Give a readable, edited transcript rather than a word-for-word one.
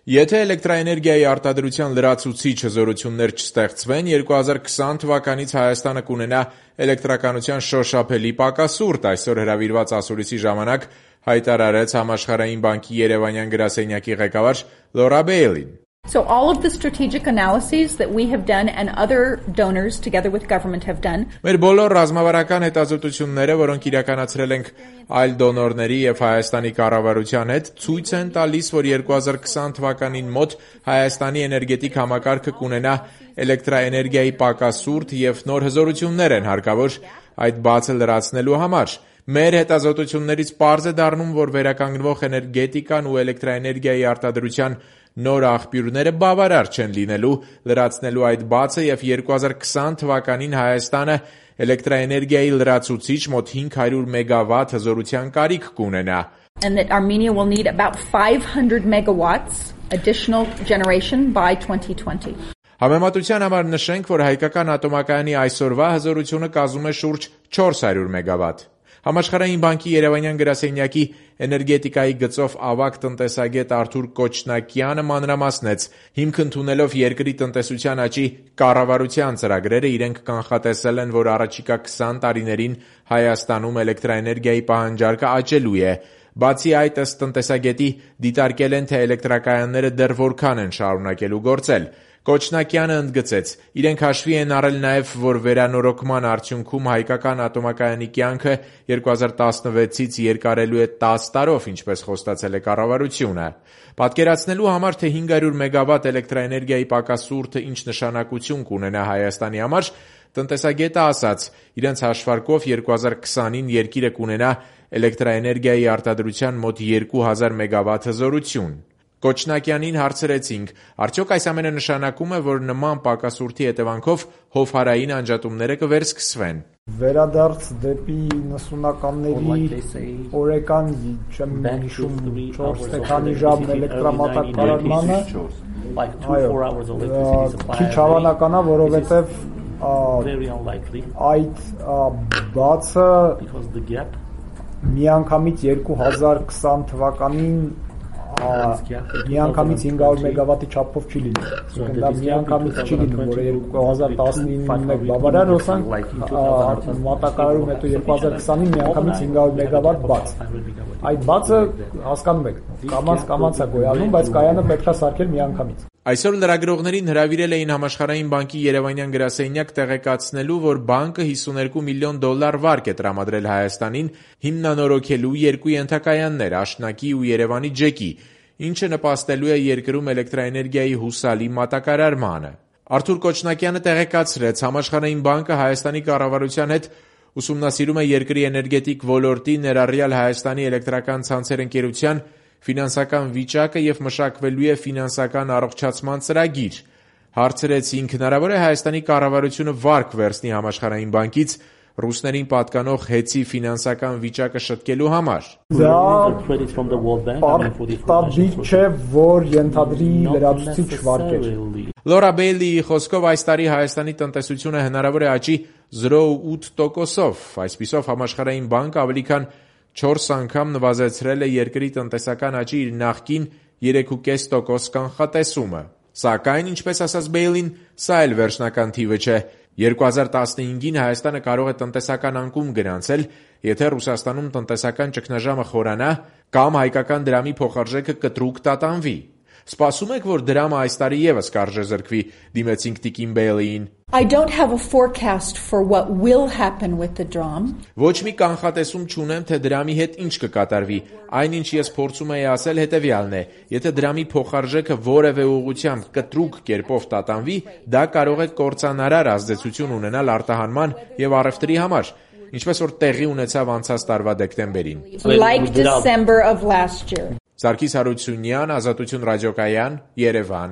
Եթե էլեկտրաէներգիայի արտադրության լրացուցիչ հզորություններ չստեղծվեն, 2020 թվականից Հայաստանը կունենա էլեկտրականության շոշափելի պակասուրդ, այսօր հրավիրված ասուլիսի ժամանակ հայտարարեց Համաշխարհային բանկի Երևանյան գրասենյակի ղեկավար Լորա Բեյլին։ So all of the strategic analyses that we have done and other donors together with government have done. Մեր բոլոր ռազմավարական հետազոտությունները, որոնք իրականացրել ենք այլ դոնորների եւ Հայաստանի կառավարության հետ, ցույց են տալիս, որ 2020 թվականին մոտ Հայաստանի էներգետիկ համակարգը կունենա էլեկտրաէներգիայի պակասուրդ եւ նոր հզորություններ են հարկավոր այդ բացը լրացնելու համար։ Մեր հետազոտություններից պարզ է դառնում, որ վերականգնվող էներգետիկան ու էլեկտրաէներգիայի արտադրության նոր աղբյուրները բավարար չեն լինելու լրացնելու այդ բացը եւ 2020 թվականին Հայաստանը էլեկտրաէներգիայի լրացուցիչ մոտ 500 մեգավատ հզորության կարիք կունենա։ And that Armenia will need about 500 megawatts additional generation by 2020. Համեմատության համար նշենք, որ հայկական ատոմակայանի այսօրվա հզորությունը կազմում է շուրջ 400 մեգավատ։ Համաշխարհային բանկի Երևանյան գրասենյակի էներգետիկայի գծով ավագ տնտեսագետ Արթուր Կոչնակյանը մանրամասնեց, հիմք ընդունելով երկրի տնտեսության աճի կառավարության ծրագրերը, իրենք կանխատեսել են, որ առաջիկա 20 տարիներին Հայաստանում էլեկտրաէներգիայի պահանջարկը աճելու է։ Բացի այդ, ըստ տնտեսագետի, դիտարկել են, թե էլեկտրակայանները դեռ որքան են շարունակելու գործել։ Կոչնակյանը ընդգծեց, իրենք հաշվի են առել նաև, որ վերանորոգման արդյունքում հայկական ատոմակայանի կյանքը 2016-ից երկարելու է 10 տարով, ինչպես խոստացել է կառավարությունը։ Պատկերացնելու համար, թե 500 մեգավատ էլեկտրաէներգիայի պակասուրդը ինչ նշանակություն կունենա Հայաստանի համար, տնտեսագետը ասաց, իրենց հաշվարկով 2020-ին երկիրը կունենա էլեկտրաէներգիայի արտադրության մոտ 2000 մեգավատ հզորություն։ Կոչնակյանին հարցրեցինք, արդյոք այս ամենը նշանակում է, որ նման պակասուրդի հետևանքով հովհարային անջատումները կվերսկսվեն։ Վերադարձ դեպի 90-ականների օրեկան չեմ հիշում 4 թե քանի ժամ էլեկտրամատակարարմանը, քիչ հավանական է, որովհետև այդ բացը միանգամից 2020 թվականին միանգամից 500 մեգավատի չափով չի լինի։ Դա միանգամից չի լինի, որը 2019-ին բավարար հոսանք մատակարարում, հետո 2020-ին միանգամից 500 մեգավատ բաց։ Այդ բացը հասկանում եք, կամաց է գոյանում, բայց կայանը պետք է սարքել միանգամից։ Այսօր լրագրողներին հրավիրել էին Համաշխարհային բանկի Երևանյան գրասենյակ տեղեկացնելու, որ բանկը $52 միլիոն վարկ է տրամադրել Հայաստանին հիմնանորոգելու երկու ենթակայաններ՝ Աշնակի ու Երևանի ջեկի, ինչը նպաստելու է երկրում էլեկտրաէներգիայի հուսալի մատակարարմանը։ Արթուր Կոչնակյանը տեղեկացրեց, Համաշխարհային բանկը Հայաստանի կառավարության հետ ուսումնասիրում է երկրի էներգետիկ ոլորտի, ներառյալ Հայաստանի էլեկտրական ցանցեր ընկերության ֆինանսական վիճակը եւ մշակվելու է ֆինանսական առողջացման ծրագիր։ Հարցրեցինք, հնարավոր է Հայաստանի կառավարությունը վարկ վերցնի Համաշխարհային բանկից ռուսներին պատկանող հեծի ֆինանսական վիճակը շտկելու համար։ Դա պարտադիր չէ, որ ենթադրի լրացուցիչ վարկեր։ Լորա Բեյլիի խոսքով այս տարի Հայաստանի տնտեսությունը հնարավոր է աճի 0.8%-ով, այսպիսով Համաշխարհային բանկը ավելի քան 4 անգամ նվազեցրել է երկրի տնտեսական աճի իր նախկին 3.5% կանխատեսումը։ Սակայն, ինչպես ասաց Բեյլին, սա էլ վերջնական թիվը չէ։ 2015-ին Հայաստանը կարող է տնտեսական անկում գրանցել, եթե Ռուսաստանում տնտեսական ճգնաժամը խորանա կամ հայկական դրամի փոխարժեքը կտրուկ տատանվի։ Սպասում եք, որ դրամը այս տարի եւս կարժեզրկվի, դիմեցինք տիկին Բեյլիին։ I don't have a forecast for what will happen with the dram. Ոչ մի կանխատեսում չունեմ, թե դրամի հետ ինչ կկատարվի։ Այնինչ ես փորձում եի ասել հետևյալն է. եթե դրամի փոխարժեքը որևէ ուղղությամբ կտրուկ կերպով տատանվի, դա կարող է կործանարար ազդեցություն ունենալ արտահանման եւ առևտրի համար, ինչպես որ տեղի ունեցավ անցած տարվա դեկտեմբերին։ Like December of last year. Սարգիս Հարությունյան, Ազատություն ռադիոկայան, Երևան։